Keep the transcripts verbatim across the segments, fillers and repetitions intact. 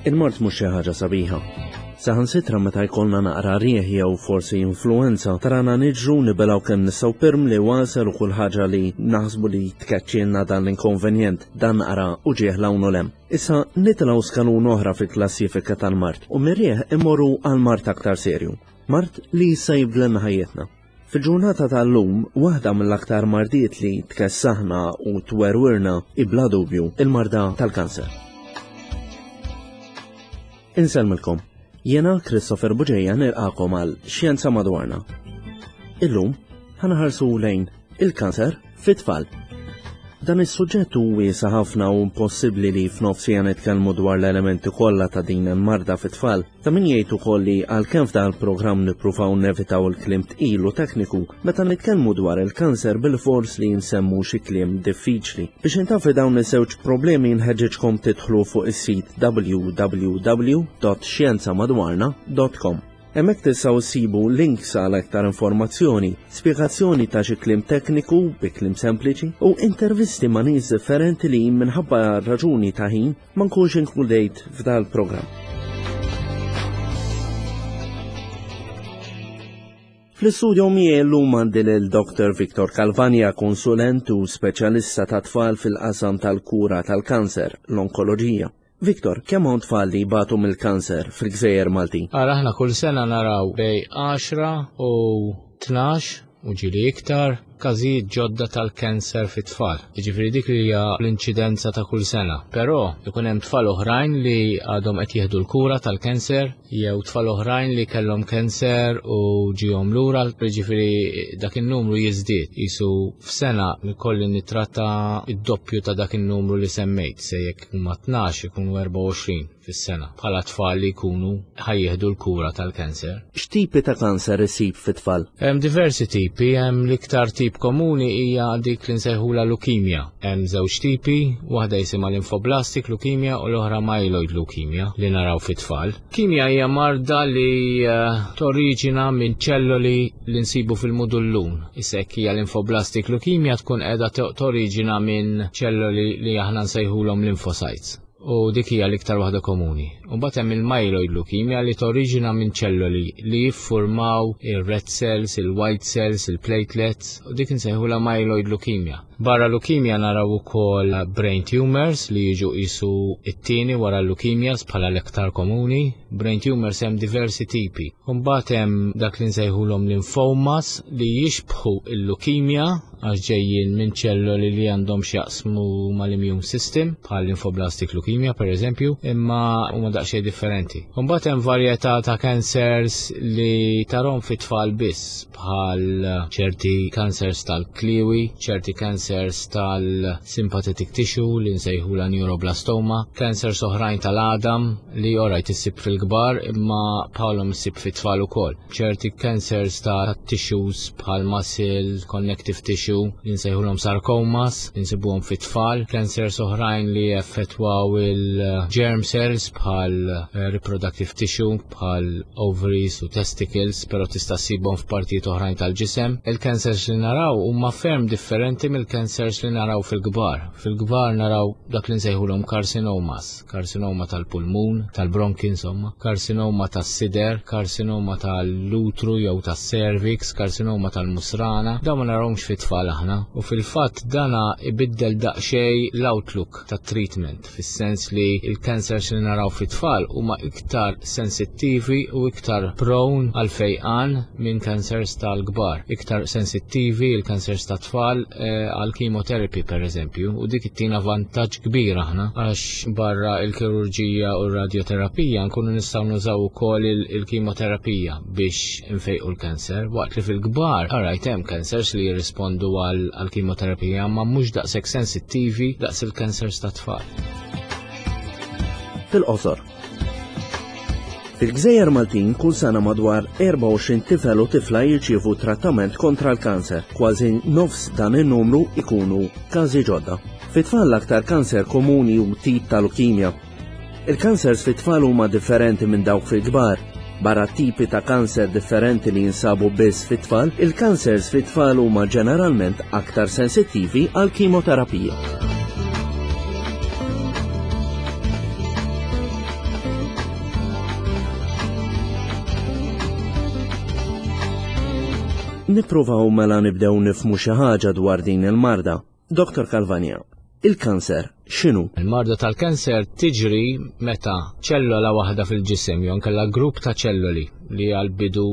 Il-mard mhux xi ħaġa sabiħa. Saħansitra meta jkollna naqra rieħ jew forsi influenza, tarana niġru nibilgħu kemm nistgħu pirmli, għasel u kull ħaġa li naħsbu li tkeċċilna dan l-inkonvenjent, dan naqra uġigħ 'l hawn u 'l hemm. Issa nitilgħu skalun oħra fil-klassifika tal-mard u mir-rieħ immorru għal mard aktar serju. Mard li jista' jibdlilna ħajjitna. Fil-ġurnata tal-lum, waħda mill-aktar mardiet li tkessaħna u twerwirna bla dubju il-marda tal-kanser. Insellmilkom. Jiena Christopher Bugeja nilqagħkom għal Xjenza Madwarna. Illum ħa nħarsu lejn il-kanser fit-tfal. Dan is-suġġett hu wiesa' ħafna u impossibbli li f'nofs siegħa nitkellmu dwar l-elementi kollha ta' din il-marda fit-tfal. Ta' min jgħid ukoll li għalkemm f'dan il-programm nippruvaw nevitaw il-kliem tqil u tekniku, meta nitkellmu dwar il-kanser bil-fors li nsemmu xi kliem diffiċli. Biex intafi dawn iż-żewġ problemi, nħeġġeġkom tidħlu fuq is-sit W W W punt xjenzamadwarna punt com. Hemmhekk tistgħu ssibu links għal aktar informazzjoni, spjegazzjoni ta' xi kliem tekniku bi kliem sempliċi u intervisti ma' nies differenti li minħabba raġuni ta' ħin ma nkunx inkludejt f'dal programm. Fl-istudio miegħi llum għandi lil Doctor Victor Calvagna, konsulent u speċjalista ta' tfal fil-qasam tal-kura tal-kanser, l-onkoloġija. Victor, kemm hawn tfal li jbatu mill-kanser fil-Gżejjer Maltin? Ara, aħna kull sena naraw bejn għaxra u tnax u ġieli iktar każijiet ġodda tal-kanser fit-tfal. Jiġifieri dik li hija l-inċidenza ta' kull sena. Però ikun hemm tfal oħrajn li għadhom qed jieħdu l-kura tal-kanser jew tfal oħrajn li kellhom kanser u ġihom lura, jiġifieri dak in-numru jiżdied. Qisu f'sena ikolli nittratta id-doppju ta' dak in-numru li semmejt, se jekk huma tnax ikunu erbgħa u għoxrin fis-sena bħala tfal li jkunu ħa jieħdu l-kura tal-kanser. X'tipi ta' kanser isib fit-tfal? Hemm diversi tipi, hemm l-iktar tip komuni hija dik li nsejħula leukemia. Hemm żewġ tipi, waħda jisimha lymphoblastic leukemia u l-oħra myeloid leukemia li naraw fit-tfal. Leukemia hija marda li uh, toriġina minn ċelloli li nsibu fil-mudullun. Issa jekk hija lymphoblastic leukemia tkun qiegħda toriġina minn ċelloli li aħna nsejħulhom lymphocytes. U dik hija l-iktar waħda komuni. U mbagħad hemm il-myeloid leukemia li toriġina minn ċelloli li jiffurmaw il-red cells, il-white cells, il-platelets, u dik insejħulha myeloid leukemia. Barra leukemia naraw ukoll brain tumors li jiġu qisu it-tieni wara leukemias bħala l-iktar komuni. Brain tumors hemm diversi tipi. U mbagħad hemm dak li nsejħulhom lymphomas li jixbħu il-leukemia għax ġejjin minn ċelloli li għandhom x'jaqsmu mal-immune system, bħal lymphoblastic leukemia per eżempju, imma huma daqsxejn differenti. Mbagħad hemm varjetà ta' cancers li tarahom fit-tfal biss, bħal ċerti cancers tal-kliwi, ċerti cancers tal-sympathetic tissue li nsejħula neuroblastoma, cancers oħrajn tal-għadam li orajt issib fil-kbar imma bħalhom issib fit-tfal ukoll. Ċerti cancers ta' tissues bħal muscle, connective tissue li nsejħulhom sarcomas li nsibuhom fit-tfal, cancers oħrajn li effettwaw il-germ cells bħal eh, reproductive tissue bħal ovaries u testicles, pero tista' ssibhom f'partijiet oħrajn tal-ġisem. Il-cancers li naraw huma ferm differenti mill-cancers li naraw fil-kbar. Fil-kbar naraw dak li nsejħulhom carcinomas, karsinoma tal-pulmun, tal-bronki insomma, karsinoma tas-sider, karsinoma tal-utru jew tas-cervix, karsinoma tal-musrana. Dawn ma narawhomx fit-tfal aħna u fil-fatt dana ibiddel daqsxejn l-outlook tat-treatment, fis-sens li il-cancers li naraw fit-tfal huma iktar sensittivi u iktar prone għal fejqan minn cancers tal-kbar. Iktar sensittivi il-cancers tat-tfal eh, għal chemotherapy per eżempju, u dik ittina vantaġġ kbir aħna għax barra il-kirurġija u r-radioterapija nkunu nistgħu nużaw ukoll il-kimoterapija biex nfejqu l-kanser, waqt li fil-kbar alright hemm cancers li jirrispondu għal kimoterapija ma mhux daqshekk sensittivi daqs il-cancers tat-tfal. Fil-qosor. Fil-Gżejjer Maltin kull sena madwar erbgħa u għoxrin tifel u tifla jirċievu trattament kontra l-kanser. Kważi nofs dan in-numru ikunu każi ġodda. Fit-tfal l-aktar kanser komuni hu tip ta' leukemia. Il-kansers fit-tfal huma differenti minn dawk fil-kbar. Barra tipi ta' kanser differenti li jinsabu biss fit-tfal, il-kansers fit-tfal huma ġeneralment aktar sensittivi għal kimoterapija. Nippruvaw mela nibdew nifhmu xi ħaġa dwar din il-marda. Doktor Calvagna, il-kanser x'inhu? Il-marda tal-kanser tiġri meta ċellola waħda fil-ġisem jew inkella grupp ta' ċelloli li għal-bidu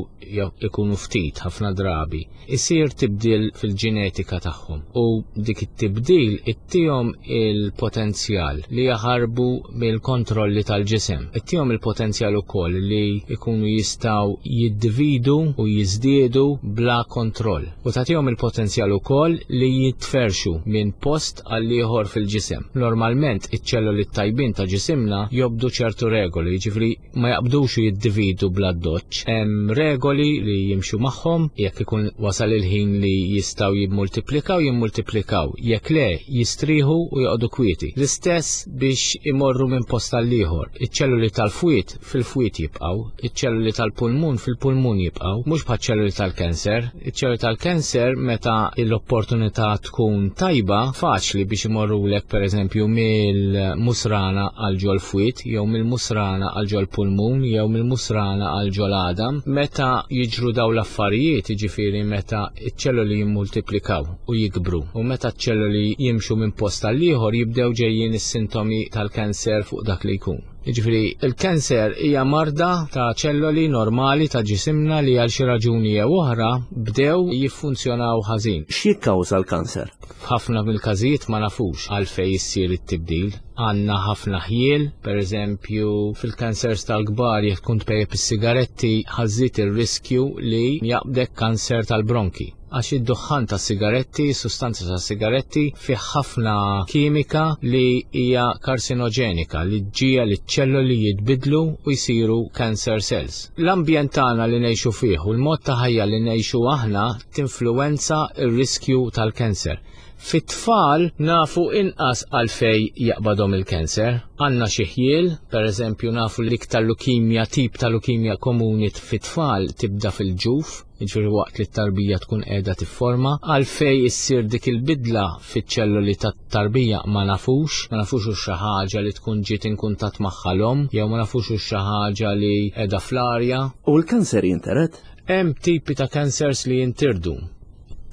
ikunu ftit ħafna drabi, isir tibdil fil-ġenetika tagħhom u dik it-tibdil ittihom il-potenzjal li jaħarbu mill-kontrolli tal-ġisem. Ittihom il-potenzjal ukoll li ikunu jistgħu jiddividu u jiżdiedu bla kontroll. U tagħtihom il-potenzjal ukoll li jitferxu minn post għal ieħor fil-ġisem. Normalment iċ-ċelloli tajbin ta' ġisimna jobdu ċertu regoli, jiġifieri ma jaqbdux u jiddividu bla doċċ. Hemm regoli li jimxu magħhom, jekk ikun wasal il-ħin li jistgħu jimmultiplikaw, jimmultiplikaw, jekk le jistrieħu u joqogħdu kwieti. L-istess biex imorru minn post għal ieħor. Iċ-ċelluli tal-fwied fil-fwied jibqgħu, iċ-ċelluli tal-pulmun fil-pulmun jibqgħu, mhux bħaċ-ċelluli tal-kanser. Iċ-ċelluli tal-kanser meta l-opportunità tkun tajba, faċli biex imorrulek pereżempju mill-musrana għal ġol-fwied, jew mill-musrana għal ġol-pulmun, jew mill-musrana għal ġol-għadam. Meta jiġru daw l-affarijiet, jiġifieri meta ċ-ċelluli jimmultiplikaw u jikbru, u meta ċ-ċelluli jimxu minn post għal ieħor jibdew ġejjin is-sintomi tal-kanser fuq dak li jkun. Jiġifieri il-kanser hija marda ta' ċelloli normali ta' ġisimna li għal xi raġuni jew oħra bdew jiffunzjonaw ħażin. X'jikkawża l-kanser? F'ħafna mill-każijiet ma nafux għalfejn issir it-tibdil. Għandna ħafna ħjiel, pereżempju fil-kansers tal-kbar jekk tkun tpejjep is-sigaretti ħażżid ir-riskju li jaqbdek kanser tal-bronki. Għax id-duħħan tas-sigaretti, sustanza tas-sigaretti fih ħafna kimika li hija karsinoġenika li ġġiegħel li ċ-ċelloli jitbidlu u jsiru cancer cells. L-ambjent tagħna li ngħixu fih u l-mod ta' ħajja li ngħixu aħna tinfluwenza r-riskju tal-kanser. Fit-tfal nafu inqas għalfej jaqbadhom il-kanser. Għandna xi ħjiel, pereżempju nafu li iktar lukimja, tip ta' lukimja komuni fit-tfal tibda fil-ġuf, jiġifieri waqt li t-tarbija tkun qiegħda tifforma. Għalfej issir dik il-bidla fiċ-ċelloli tat-tarbija ma nafux, ma nafux hux xi ħaġa li tkun ġiet in kuntatt magħha l-omm, jew ma nafux hux xi ħaġa li qiegħda fl-arja. U l-kanser jintired? Hemm tipi ta' kansers li jintirdu.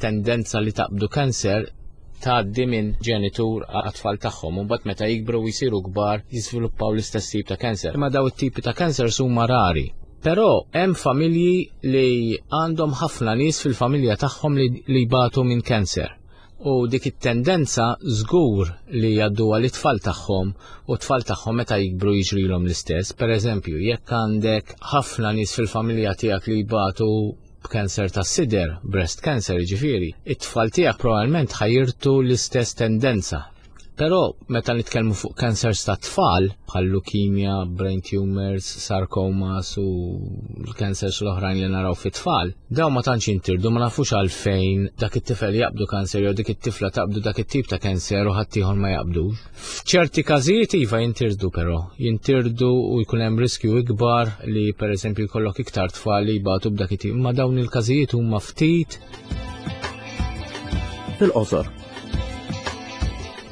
Tendenza li taqbdu kanser tgħaddi minn ġenitur għat-tfal tagħhom, u mbagħad meta jikbru u jsiru kbar jiżviluppaw l-istess tip ta' kanser. Imma daw it-tipi ta' kansers huma rari. Però hemm familji li għandhom ħafna nies fil-familja tagħhom li, li jbatu minn kanser. U dik it-tendenza żgur li jgħadduha lit-tfal tagħhom, u t-tfal tagħhom meta jikbru jiġrilhom l-istess. Pereżempju, jekk għandek ħafna nies fil-familja tiegħek li jbatu b'kanser tas-sider, breast cancer jiġifieri, it-tfal tiegħek probabbilment ħajirtu l-istess tendenza. Però meta nitkellmu fuq kansers ta' tfal, bħal leukemia, brain tumors, sarcomas u l-kansers l-oħrajn li naraw fit-tfal, daw ma tantx jintirdu, ma nafux għalfejn dak it-tifel jaqbdu kanser jew dik it-tifla taqbdu dak it-tip ta' kanser u ħaddieħor ma jaqbdux. F'ċerti każijiet iva jintirdu però, jintirdu u jkun hemm riskju ikbar li pereżempju jkollok iktar tfal li jbatu b'dak it-tip, imma dawn il-każijiet huma ftit. Fil-qosor.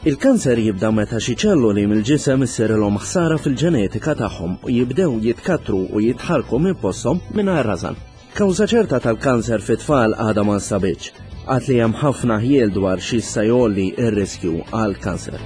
Il-kanser jibda meta xi ċelloli mill-ġisem issirilhom ħsara fil-ġenetika tagħhom u jibdew jitkattru u jitħarku minn posthom mingħajr rażan. Kawża ċerta tal-kanser fit-tfal għadha ma nstabitx, għad li hemm ħafna ħjiel dwar xi jista' jgħolli r-riskju għall-kanser.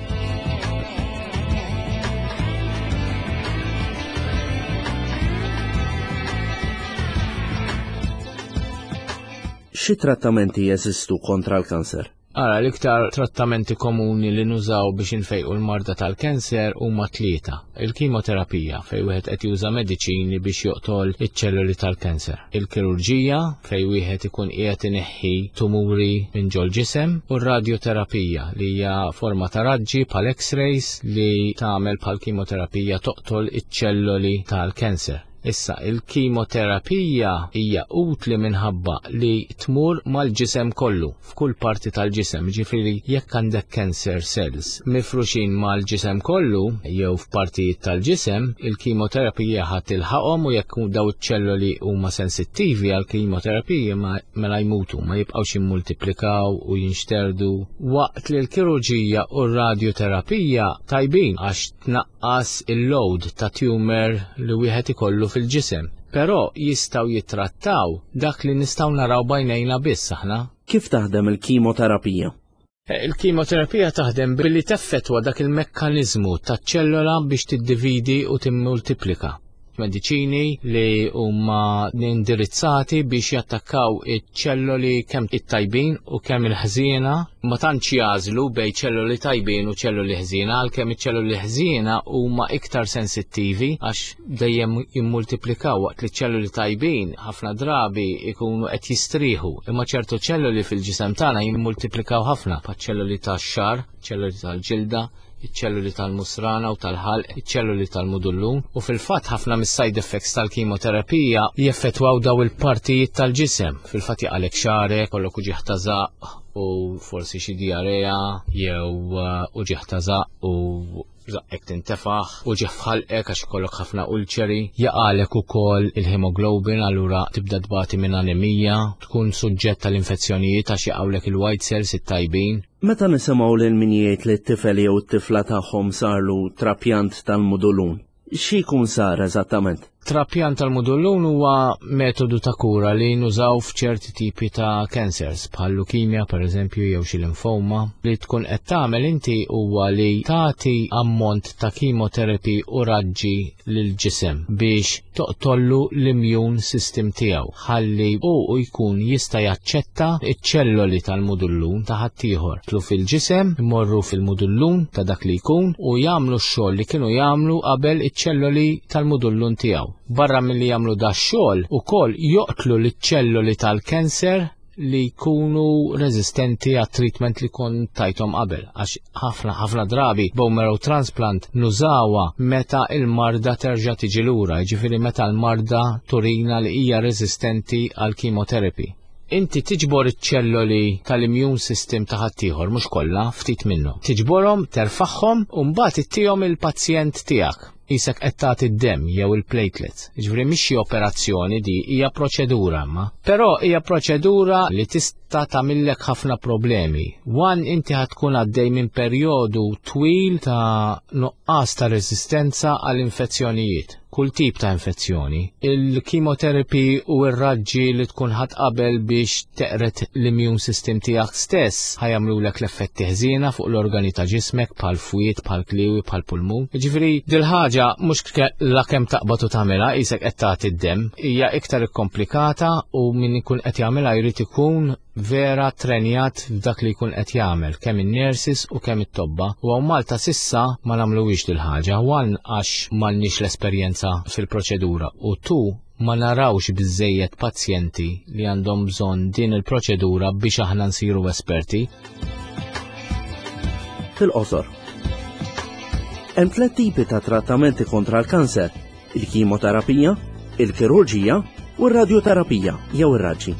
Xi trattamenti jeżistu kontra l-kanser? Ara, l-iktar trattamenti komuni li nużaw biex infejqu l-marda tal-kanser huma tlieta. Il-kimoterapija, fejn wieħed qed juża mediċini biex joqtol iċ-ċelluli tal-kanser. Il-kirurġija, fejn wieħed ikun qiegħed ineħħi tumuri minn ġol-ġisem, u r-radioterapija, li hija forma ta' raġġi bħal X-rays li tagħmel bħal kimoterapija toqtol iċ-ċelluli tal-kanser. Issa, il-kimoterapija hija utli minħabba li tmur mal-ġisem kollu, f'kull parti tal-ġisem, ġifieri jekk għandek cancer cells mifruxin mal-ġisem kollu jew f'partijiet tal-ġisem, il-kimoterapija ħadd tilħaqhom u jekk daw iċ-ċelloli huma sensittivi għall-kimoterapija mela jmutu, ma jibqgħux jimmultiplikaw u jinxterdu. Waqt li l-kirurġija u r-radioterapija tajbin għax tnaqqas il-load ta' tumor li wieħed ikollu fil-ġisem. Però jistgħu jittrattaw dak li nistgħu naraw b'għajnejna biss aħna. Kif taħdem il-kimoterapija? Il-kimoterapija taħdem billi teffettwa dak il-mekkaniżmu taċ-ċellola biex tiddividi u timmultiplika. Mediċini li huma indirizzati biex jattakkaw iċ-ċelloli kemm it-tajbin u kemm il-ħżiena, ma tantx jażlu bejn ċelloli tajbin u ċelloli ħżiena, għalkemm iċ-ċelloli ħżiena huma iktar sensittivi għax dejjem jimmultiplikaw, waqt li ċelloli tajbin ħafna drabi ikunu qed jistrieħu, imma ċertu ċelloli fil-ġisem tagħna jimmultiplikaw ħafna, bħaċ-ċelloli tax-xagħar, ċelloli tal-ġilda, iċ-ċelluli tal-musrana u tal-ħalq, iċ-ċelluli tal-mudullun, u fil-fatt ħafna mis-side effects tal-kimoterapija jeffettwaw daw il-partijiet tal-ġisem. Fil-fatt jaqalek xagħrek, kollok uġigħ ta' żaqq u forsi xi diarrea jew uġigħ ta' żaqq u żaqqek tintefaħ, uġigħ f'ħalqek għax ikollok ħafna ulċeri, jaqalek ukoll il-hemoglobin, allura tibda tbati minn anemija, tkun suġġett tal-infezzjonijiet għax jaqgħulek il-white cells it-tajbin. Meta nisimgħu lil min jgħid li t-tifel jew t-tifla tagħhom sarlu trapjant tal-mudullun, xi jkun sar eżattament? Trapjant tal-mudullun huwa metodu ta' kura li nużaw f'ċerti tipi ta' cancers, bħal leukemia per eżempju jew xi limfoma. Li tkun qed tagħmel inti huwa li tagħti ammont ta' chemotherapy u raġġi lil ġisem biex toqtollu l-immune system tiegħu, ħalli hu jkun jista' jaċċetta iċ-ċelloli tal-mudullun ta' ħaddieħor. Tlu fil-ġisem, imorru fil-mudullun ta' dak li jkun u jagħmlu x-xogħol li kienu jagħmlu qabel iċ-ċelloli tal-mudullun tiegħu. Barra milli jagħmlu da x-xogħol, ukoll joqtlu liċ-ċelloli tal-kanser li jkunu rezistenti għat treatment li kon tajtom qabel, għax ħafna ħafna drabi bone marrow transplant nużawa meta il-marda terġa' tiġi lura, jiġifieri meta l-marda turina li hija rezistenti għal chemotherapy. Inti tiġbor iċ-ċelloli tal-immune system ta' ħaddieħor, mhux kollha, ftit minnhom. Tiġborhom, terfaħħom u mbagħad ittihom il-pazjent tiegħek. Isek qed tagħti d-demm jew il-platelets. Jiġifieri mhix xi operazzjoni di, hija proċedura ma. Però hija proċedura li tista' tagħmillek ħafna problemi. One, inti ħa tkun għaddej minn perjodu twil ta' nuqqas ta' resistenza għall infezzjonijiet. Kull tip ta' infezzjoni. Il-chemotherapy u r-raġġi li tkun ħadd qabel biex teqret l-immune system tiegħek stess ħa jagħmlulek l-effetti ħżiena fuq l-organi ta' ġismek bħal fwied, bħal kliwi, bħal pulmun. Jiġifieri dil-ħaġa mhux la kemm taqbad u tagħmilha qisek qed tagħti d-demm, hija iktar ikkomplikata u min ikun qed jagħmilha jrid ikun vera trenjat f'dak li jkun qed jagħmel, kemm in-nurses u kemm it-tobba. U hawn Malta sissa ma nagħmluhiex dil-ħaġa, one għax m'għandniex l-esperjenza fil-proċedura u two ma narawx biżejjed pazjenti li għandhom bżonn din il-proċedura biex aħna nsiru esperti. Fil-qosor. Hemm tliet tipi ta' trattamenti kontra l-kanser: il-kimoterapija, il-kirurġija u r-radjoterapija jew ir-raġġi.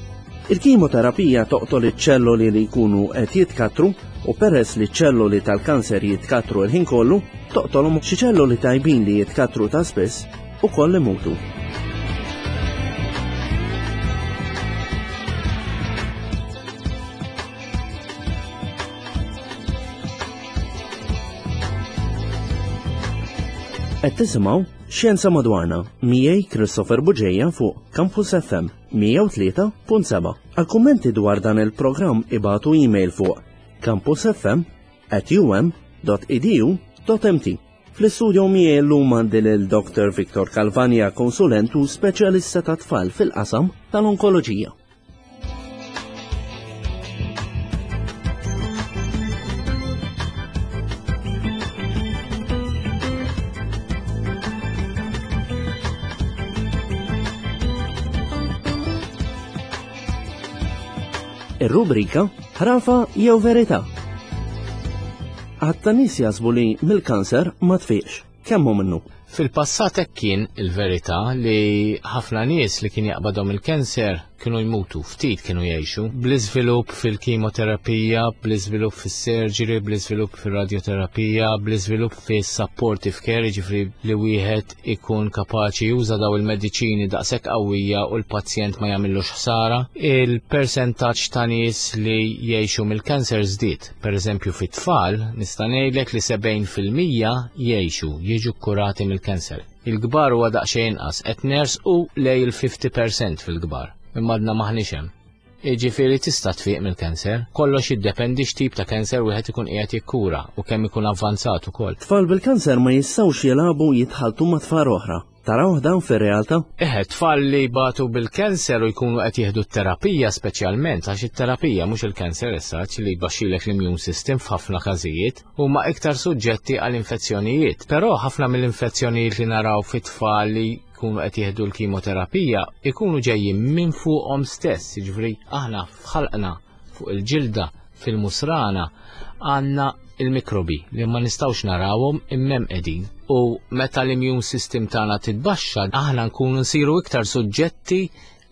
Il-kimoterapija toqtol iċ-ċelloli li jkunu qed jitkatru u peress li ċ-ċelloli tal-kanser jitkatru l-ħin kollu, toqtolhom xi ċelloli tajbin li jitkatru ta' spiss ukoll imutu. Qed tisimgħu Xjenza Madwarna miegħi Christopher Bugeja fuq Campus F M mija u tlieta punt seba'. Għal kummenti dwar dan il-programm ibatu email fuq campus f m at u m dot e d u dot m t. Fl-istudio miegħi llum għandi lil Doctor Victor Calvagna, konsulent u speċjalista ta' tfal fil-qasam tal-onkoloġija. Ir-rubrika Ħrafa jew Verità. Għatta nies jaħsbu li mill-kanser ma tfiqx. Kemm hu minnu? Fil-passat hekk kien il-verità li ħafna nies li kien jaqbadhom il-kanser kienu jmutu, ftit kienu jgħixu. Bl-iżvilupp fil-kimoterapija, bl-iżvilupp fis-surgery, bl-iżvilupp fir-radioterapija, bl-iżvilupp fis-supportive care, jiġifieri li wieħed ikun kapaċi juża daw il-mediċini daqshekk qawwija u l-pazjent ma jagħmillux ħsara. Il-persentaġġ ta' nies li jgħixu mill-kanser żdied. Pereżempju fit-tfal nista' ngħidlek li sebgħin fil-mija jgħixu, jiġu kkurati mill-kanser. Il-kbar huwa daqsxejn inqas, qed nersqu lejn il-fifty percent fil-kbar. Imma għadna maħniex hemm. Jiġifieri tista' tfiq mill-kanser, kollox jiddependi x'tip ta' kanser wieħed ikun qiegħed jikkura u kemm ikun avvanzat ukoll. Tfal bil-kanser ma jistgħux jilagħbu, jitħaltu ma' tfal oħra. Taraw dan fir-realtà? Eħe, tfal li batu bil-kanser u jkunu qed jieħdu t-terapija speċjalment, għax it-terapija, mhux il-kanser issa, li jbaxxilek l-immune system f'ħafna każijiet, huma iktar suġġetti għal infezzjonijiet. Però ħafna mill-infezzjonijiet li naraw fit-tfal li jkunu qed jieħdu l-kimoterapija ikunu ġejjin minn fuqhom stess, jiġifieri aħna f'ħalqna, fuq il-ġilda, fil-musrana għandna il-mikrobi li ma nistgħux narawhom imma hemm qegħdin. U meta l-immune system tagħna titbaxxa, aħna nkunu nsiru iktar suġġetti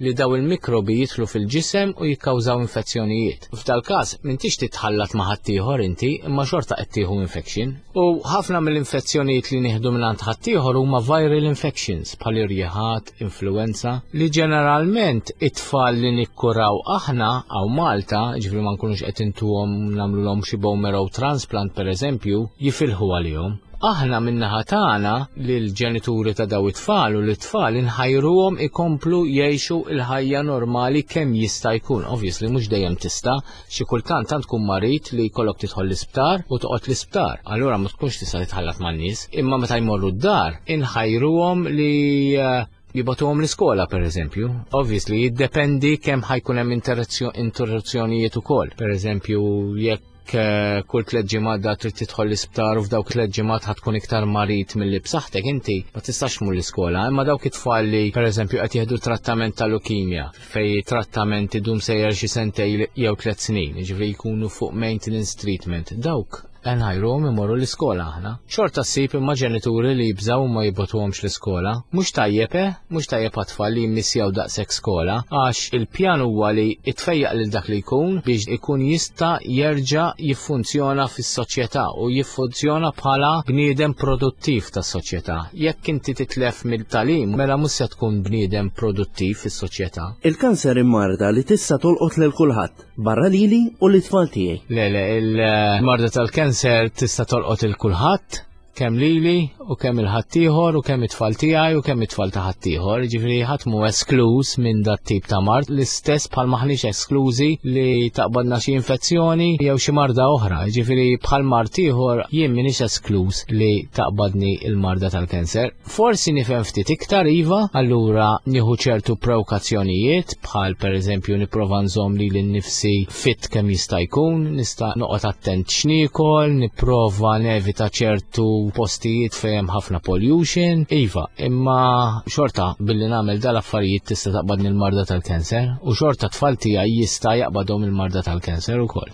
li daw il-mikrobi jidħlu fil-ġisem u jikkawżaw infezzjonijiet. F'dal każ m'intix titħallat ma' ħaddieħor inti, imma xorta qed tieħu infection. U ħafna mill-infezzjonijiet li nieħdu minn għand ħaddieħor huma viral infections bħal irjiħat, influenza, li ġeneralment it-tfal li nikkuraw aħna hawn Malta, ġifieri ma nkunux qed intuhom nagħmluhom xi bone marrow transplant pereżempju, jifilħu għalihom. Aħna min-naħa tagħna lill-ġenituri ta' daw it-tfal u l-tfal inħajruhom ikomplu jgħixu il-ħajja normali kemm jista' jkun. Obviously mhux dejjem tista', xi kultant tant tkun marid li jkollok tidħol l-isptar u toqgħod l-isptar. Allura ma tkunx tista' titħallat man-nies, imma meta jmorru d-dar inħajruhom li eh, jibagħtuhom l-iskola per eżempju. Obviously jiddependi kemm ħa jkun hemm interruzzjonijiet ukoll. Per eżempju, jekk eh, kull tliet ġimgħat da trid tidħol l-isptar u f'dawk tliet ġimgħat ħa tkun iktar marid milli b'saħħtek inti, ma tistax tmur l-iskola, imma dawk it-tfal li pereżempju qed jieħdu trattament ta' leukemia, fej trattament idum sejjer xi sentej jew tliet snin, jiġifieri jkunu fuq maintenance treatment, dawk nħajruhom imorru l-iskola aħna. Xorta ssib imma ġenituri li jibżaw ma jibagħtuhomx l-iskola. Mhux tajjeb, eh? Mhux tajjeb għat-tfal li jimmissjaw daqshekk skola, għax il-pjan huwa li itfejjaq lil dak li jkun biex ikun jista' jerġa' jiffunzjona fis-soċjetà u jiffunzjona bħala bniedem produttiv tas-soċjetà. Jekk inti titlef mill-tagħlim, mela mhux se tkun bniedem produttiv fis-soċjetà. Il-kanser marda li tista' tolqot lil kulħadd, barra lili u l-itfal tiegħi? Le, le, il-marda tal-kanser tista' tolqot il kulħadd, kemm lili u kemm il-ħaddieħor u kemm it-tfal tiegħi u kemm it-tfal ta' ħaddieħor. Ġifieri ħadd mhu eskluż minn dat tip ta' mard, l-istess bħal maħniex esklużi li taqbadna xi infezzjoni jew xi marda oħra. Ġifieri bħal mard ieħor jien m'iniex eskluż li taqbadni il-marda tal-kanser. Forsi nifhem ftit iktar iva, allura nieħu ċertu prekawzjonijiet, bħal pereżempju nipprova nżomm lili nnifsi fit kemm jista' jkun, nista' noqgħod attent x'niekol, nipprova nevita ċertu postijiet fejn hemm ħafna pollution. Iva, imma xorta billi nagħmel dal-affarijiet tista' taqbadni l-marda tal-kanser u xorta tfal tiegħi jista' jaqbadhom il-marda tal-kanser ukoll.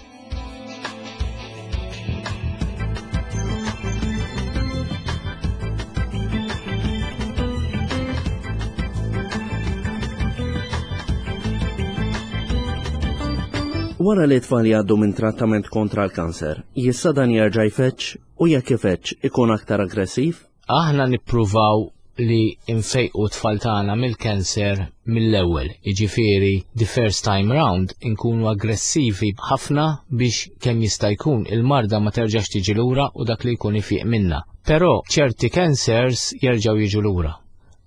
Wara li tfal jgħaddu minn trattament kontra l-kanser, jista' dan jerġa' jfeġġ u jekk ifeġġ ikun aktar aggressiv? Aħna nippruvaw li nfejqu tfal tagħna mill-kanser mill-ewwel, jiġifieri the first time round inkunu aggressivi ħafna biex kemm jista' jkun il-marda ma terġax tiġi lura u dak li jkun ifiq minna. Però ċerti cancers jerġgħu jiġu lura.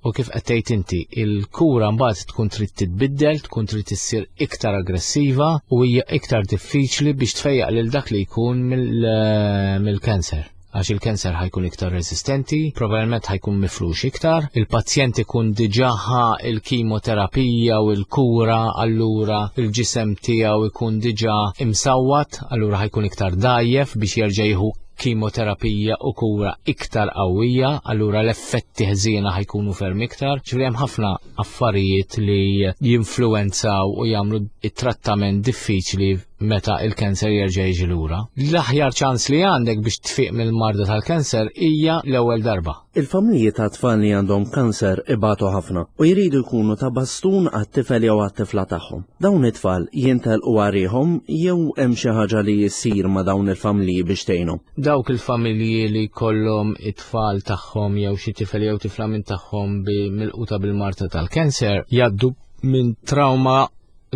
U kif qed tgħid inti, il-kura mbagħad tkun trid titbiddel, tkun trid issir iktar aggressiva u hija iktar diffiċli biex tfejjaq lil dak li jkun mill-kanser. Għax il-kanser ħa jkun iktar resistenti, probabbilment ħa jkun mifrux iktar, il-pazjent ikun diġà ħa il-kimoterapija u l-kura, allura il-ġisem tiegħu ikun diġà imsawwat, allura ħa jkun iktar dgħajjef biex jerġa' jieħu kimoterapija u kura iktar qawwija, allura l-effetti ħżiena ħa jkunu ferm iktar. Ġifieri hemm ħafna affarijiet li jinfluwenzaw u jagħmlu it-trattament diffiċli meta il-kanser jerġa' jiġi lura. L-aħjar ċans li għandek biex tfiq mill-marda tal-kanser hija l-ewwel darba. Il-familji ta' tfal li għandhom kanser ibatu ħafna u jridu jkunu ta' bastun għat-tifel jew għat-tifla tagħhom. Dawn it-tfal jintelqu għarihom jew hemm xi ħaġa li jsir ma' dawn il-familji biex tgħinhom? Dawk il-familji li kollhom it-tfal tagħhom jew xi tifel jew tifla minn tagħhom bi milquta bil-marda tal-kanser jgħaddu minn trauma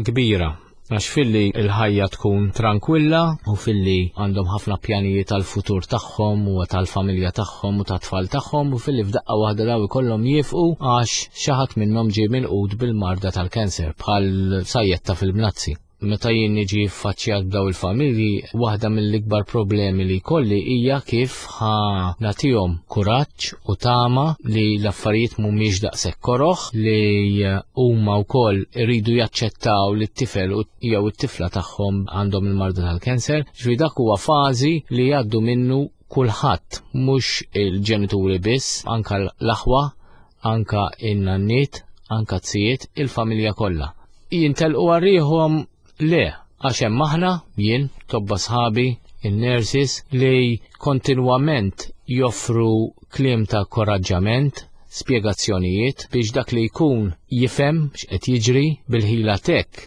kbira. Għax filli l-ħajja tkun tranquilla u filli għandhom ħafna pjanijiet tal-futur tagħhom u tal-familja tagħhom u tat-tfal tagħhom u filli f'daqqa waħda daw ikollhom jifqu għax xi ħadd minnhom ġie milqut bil-marda tal-kanser bħal sajjetta fil-bnazzi. Meta jien niġi ffaċċjat b'daw il-familji, waħda mill-ikbar problemi li jkolli hija kif ħa nagħtihom kuraġġ u tama li l-affarijiet mhumiex daqshekk koroħ, li huma wkoll iridu jaċċettaw li t-tifel jew it-tifla tagħhom għandhom il-marda tal-kanser. Ġifieri dak huwa fażi li jgħaddu minnu kulħadd, mhux il-ġenituri biss, anka l-aħwa, anka in-nanniet, anka t-sijiet, il-familja kollha. Jintelqu għarriħhom le, għax hemm aħna, jien, tobba sħabi, in-nurses li kontinwament joffru kliem ta' koraġġament, spjegazzjonijiet biex dak li jkun jifhem x'qed jiġri bil-ħila tek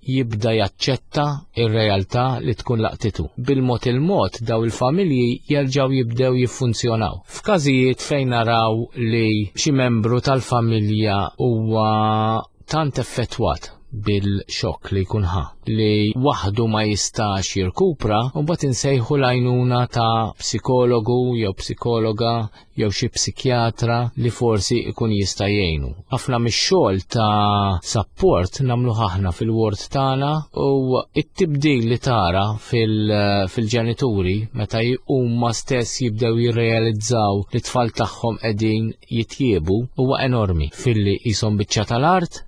jibda jaċċetta ir-realtà li tkun laqtitu. Bil-mod il-mod daw il-familji jerġgħu jibdew jiffunzjonaw. F'każijiet fejn naraw li xi membru tal-familja huwa tant effettwat bil-xokk li jkun ħa li waħdu ma jistax jirkupra, u mbagħad insejħu l-għajnuna ta' psikologu jew psikologa jew xi psikjatra li forsi jkun jista' jgħinu. Ħafna mix-xogħol ta' support nagħmluh aħna fil-ward tagħna u t-tibdil li tara fil-ġenituri meta huma stess jibdew jirrealizzaw li t-tfal tagħhom qegħdin jitjiebu huwa enormi, filli qishom biċċa tal-art,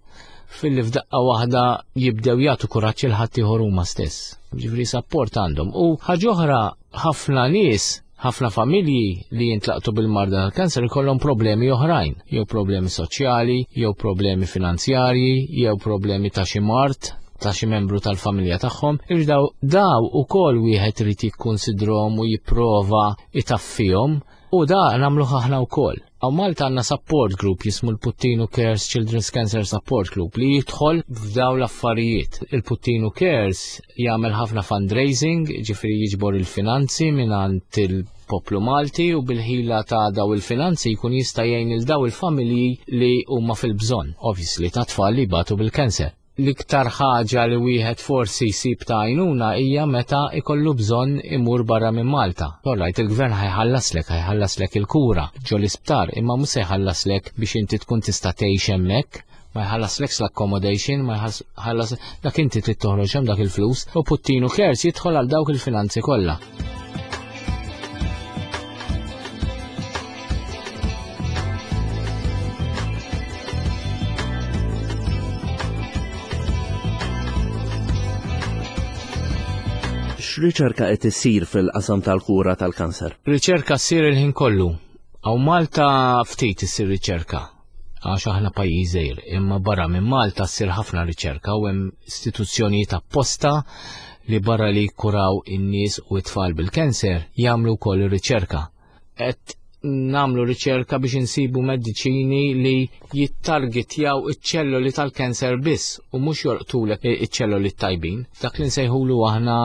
filli f'daqqa waħda jibdew jagħtu kuraġġ il ħadd ieħor huma stess. Ġifieri support għandhom. U ħaġa oħra, ħafna nies, ħafna familji li jintlaqtu bil-marda tal-kanser ikollhom problemi oħrajn, jew problemi soċjali, jew problemi finanzjarji, jew problemi ta' xi mard ta' xi membru tal-familja tagħhom. Irdaw daw ukoll wieħed irid jikkunsidrhom u jipprova itaffihom, u da nagħmluh aħna wkoll. Hawn Malta għandna support group jismu l-Puttinu Cares Children's Cancer Support Group li jidħol f'daw l-affarijiet. Il-Puttinu Cares jagħmel ħafna fundraising, ġifieri jiġbor il-finanzi mingħand il-poplu Malti, u bil-ħila ta' daw il-finanzi jkun jista' jgħin il daw il-familji li huma fil-bżonn, obviously ta' tfal li jbatu bil-kanser. L-iktar ħaġa li wieħed forsi jsib ta' għajnuna hija meta ikollu bżonn imur barra minn Malta. Alright, il-gvern ħajħallaslek, ħajħallaslek il-kura ġo l-isptar, imma mhux se jħallaslek biex inti tkun tista' tgħix hemmhekk, ma jħallaslekx l-accommodation, ma jħallas dak inti trid toħroġ hemm dak il-flus, u Puttinu Cares jidħol għal dawk il-finanzi kollha. X'riċerka qed issir fil-qasam tal-kura tal-kanser? Riċerka ssir il-ħin kollu. Hawn Malta ftit issir riċerka, għax aħna pajjiż żgħir, imma barra minn Malta ssir ħafna riċerka u hemm istituzzjonijiet apposta li barra li jikkuraw in-nies u t-tfal bil-kanser jagħmlu wkoll ir-riċerka. Qed nagħmlu riċerka biex insibu mediċini li jittargetjaw iċ-ċelloli tal-kanser biss u mhux jolqtulek iċ-ċelloli tajbin. Dak li nsejħulu aħna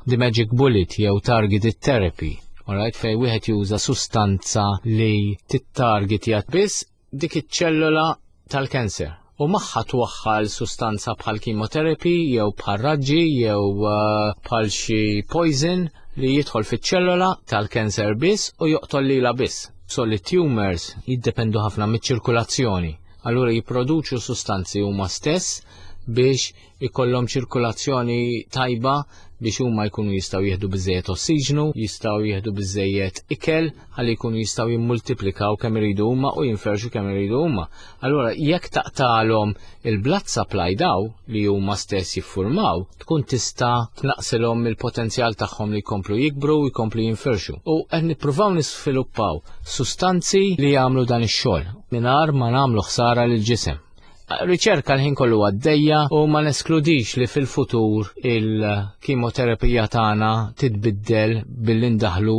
the magic bullet jew targeted therapy. Alright, fej wieħed juża sustanza li tittargetja biss dik iċ-ċellola tal-kanser. U magħha twaħħal sustanza bħal chemotherapy jew bħal raġġi jew bħal xi poison li jidħol fiċ-ċellola tal-kanser biss u joqtol lilha biss. Solid tumors jiddependu ħafna miċ-ċirkulazzjoni. Allura jipproduċu sustanzi huma stess biex ikollhom ċirkulazzjoni tajba biex huma jkunu jistgħu jieħdu biżżejjed ossiġnu, jistgħu jieħdu biżżejjed ikel ħalli jkunu jistgħu jimmultiplikaw kemm iridu huma u jinferxu kemm iridu huma. Allura jekk taqtalhom il-blood supply daw li huma stess jiffurmaw, tkun tista' tnaqsilhom il-potenzjal tagħhom li jkomplu jikbru u jkomplu jinferxu. U qed nippruvaw nisviluppaw sustanzi li jagħmlu dan ix-xogħol mingħajr ma nagħmlu ħsara lill-ġisem. Riċerka l-ħin kollu għaddejja u ma neskludix li fil-futur il-kimoterapija tagħna titbiddel billi ndaħlu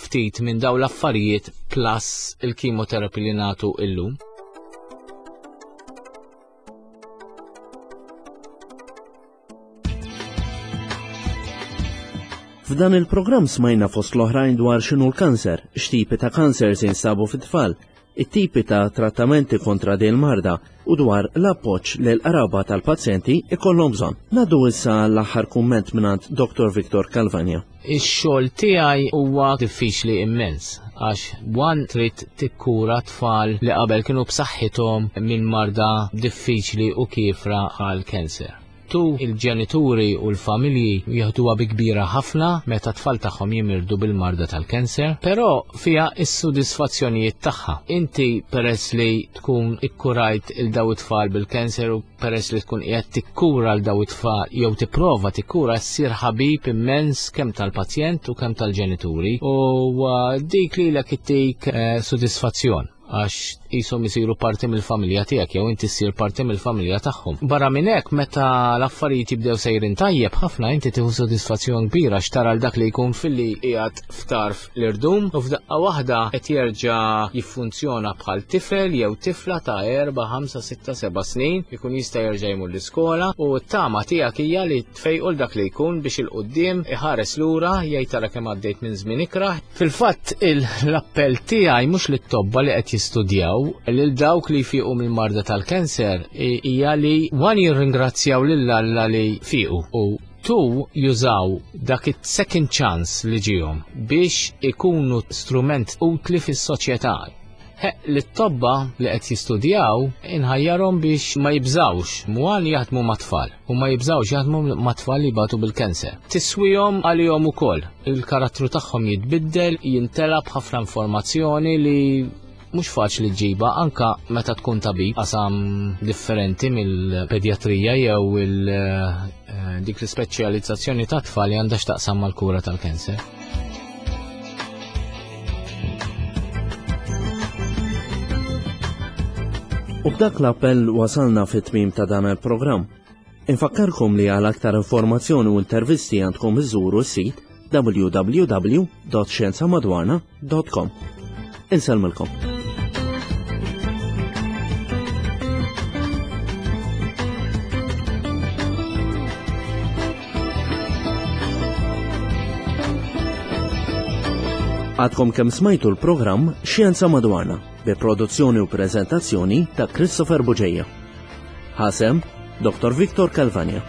ftit minn dawn l-affarijiet plus il-kimoterapija li nagħtu illum. F'dan il-programm smajna fost l-oħrajn dwar x'inhu l-kanser, x'tipi ta' kanser se jinsabu fit-tfal, it-tipi ta' trattamenti kontra din il-marda u dwar l-appoġġ li l-qraba tal-pazjenti ikollhom bżonn. Ngħaddu issa l-aħħar kumment mingħand Dottor Victor Calvagna. Ix-xogħol tiegħi huwa diffiċli immens għax one trid tikkura tfal li qabel kienu b'saħħithom minn marda diffiċli u kiefra għal kanser. Tu il-ġenituri u l-familji jieħduha bi kbira ħafna meta tfal tagħhom jimirdu bil-marda tal-kanser, però fiha s-sodisfazzjonijiet tagħha. Inti peress li tkun ikkurajt il daw it-tfal bil-kanser u peress li tkun qiegħed tikkura l daw it-tfal jew tipprova tikkura ssir ħabib immens kemm tal-pazjent u kemm tal-ġenituri u dik lilek ittik eh, sodisfazzjon għax qishom isiru parti mill-familja tiegħek jew inti ssir parti mill-familja tagħhom. Barra minn hekk meta l-affarijiet jibdew sejrin tajjeb ħafna inti tieħu sodisfazzjon kbira għax tara l dak li jkun filli qiegħed f'tarf l-irdum u f'daqqa waħda qed jerġa' jiffunzjona bħal tifel jew tifla ta' erba', ħamsa, sitta, seba' snin, ikun jista' jerġa' jmur l-iskola u t-tama tiegħek hija li tfejqu l dak li jkun biex il-quddiem iħares lura jgħid tara kemm għaddejt minn żmien ikrah. Fil-fatt l-appell tiegħi mhux lit-tobba li qed jistudjaw lil dawk li jfiqu mill-marda tal-kanser hija li one jirringrazzjaw lil Alla li fiqu u two jużaw dak it-second chance li ġihom biex ikunu strument utli fis-soċjetà. Li t-tobba li qed jistudjaw inħajjarhom biex ma jibżawx mwan jaħdmu mat-tfal u ma jibżawx jaħdmu mat-tfal li jbatu bil-kanser. Tiswihom għalihom ukoll. Il-karattru tagħhom jitbiddel, jintela b'ħafna informazzjoni li mhux faċli ġiba anka meta tkun tabib qasam differenti mill-pedjatrija jew il dik l-ispeċjalizzazzjoni ta' tfal li għandha x'taqsam mal-kura tal-kanser. U b'dak l-appell wasalna fit-tmiem ta' dan il-programm. Infakkarkom li għal aktar informazzjoni u intervisti għandkom iżuru s-sit w w w dot xjenza madwarna dot com. Insellmilkom. Għadkom kemm smajtu l-programm Xjenza Madwarna bi produzzjoni u prezentazzjoni ta' Christopher Bugeja. Ħasem, Dottor Victor Calvagna.